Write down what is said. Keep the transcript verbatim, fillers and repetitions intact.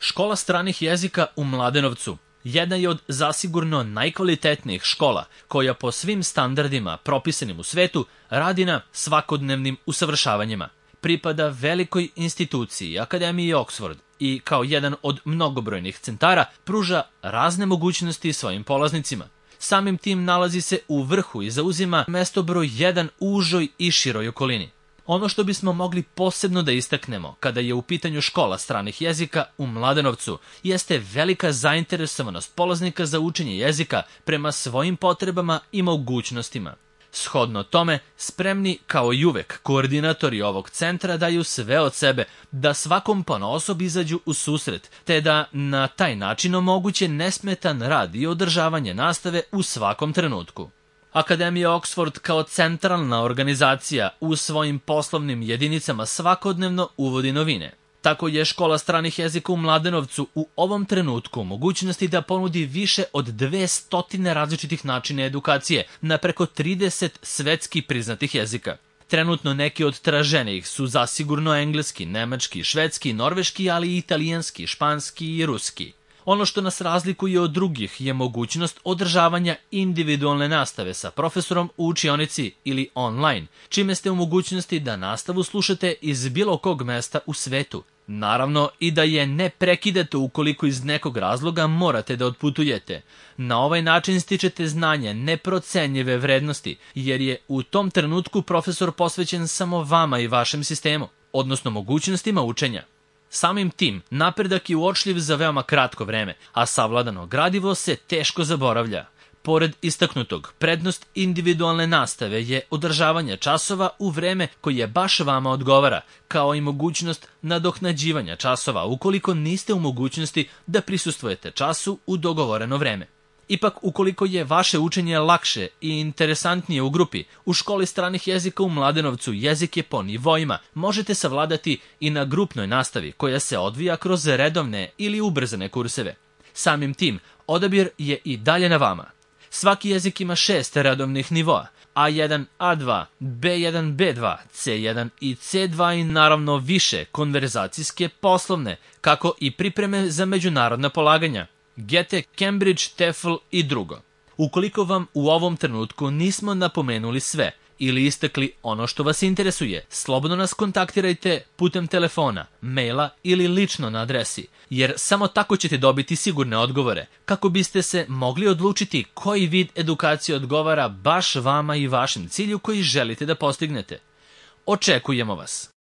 Škola stranih jezika u Mladenovcu jedna je od zasigurno najkvalitetnijih škola koja po svim standardima propisanim u svetu radi na svakodnevnim usavršavanjima. Pripada velikoj instituciji Akademiji Oxford i kao jedan od mnogobrojnih centara pruža razne mogućnosti svojim polaznicima. Samim tim nalazi se u vrhu i zauzima mesto broj jedan u užoj i široj okolini. Ono što bismo mogli posebno da istaknemo kada je u pitanju škola stranih jezika u Mladenovcu jeste velika zainteresovanost polaznika za učenje jezika prema svojim potrebama i mogućnostima. Shodno tome, spremni kao i uvek koordinatori ovog centra daju sve od sebe da svakom ponaosob izađu u susret, te da na taj način omoguće nesmetan rad i održavanje nastave u svakom trenutku. Akademija Oxford kao centralna organizacija u svojim poslovnim jedinicama svakodnevno uvodi novine. Tako je škola stranih jezika u Mladenovcu u ovom trenutku u mogućnosti da ponudi više od dvesta različitih načina edukacije na preko trideset svetski priznatih jezika. Trenutno neki od traženijih su zasigurno engleski, nemački, švedski, norveški, ali i italijanski, španski i ruski. Ono što nas razlikuje od drugih je mogućnost održavanja individualne nastave sa profesorom u učionici ili online, čime ste u mogućnosti da nastavu slušate iz bilo kog mesta u svetu. Naravno i da je ne prekidate ukoliko iz nekog razloga morate da odputujete. Na ovaj način stičete znanje neprocenjive vrednosti, jer je u tom trenutku profesor posvećen samo vama i vašem sistemu, odnosno mogućnostima učenja. Samim tim, napredak je uočljiv za veoma kratko vreme, a savladano gradivo se teško zaboravlja. Pored istaknutog, prednost individualne nastave je održavanje časova u vreme koje baš vama odgovara, kao i mogućnost nadoknađivanja časova ukoliko niste u mogućnosti da prisustvujete času u dogovoreno vreme. Ipak, ukoliko je vaše učenje lakše i interesantnije u grupi, u školi stranih jezika u Mladenovcu jezik je po nivoima možete savladati i na grupnoj nastavi koja se odvija kroz redovne ili ubrzane kurseve. Samim tim, odabir je i dalje na vama. Svaki jezik ima šest redovnih nivoa, A jedan, A dva, B jedan, B dva, C jedan i C dva i naravno više konverzacijske, poslovne, kako i pripreme za međunarodna polaganja, G E T E, Cambridge, TEFL i drugo. Ukoliko vam u ovom trenutku nismo napomenuli sve ili istakli ono što vas interesuje, slobodno nas kontaktirajte putem telefona, maila ili lično na adresi, jer samo tako ćete dobiti sigurne odgovore, kako biste se mogli odlučiti koji vid edukacije odgovara baš vama i vašem cilju koji želite da postignete. Očekujemo vas!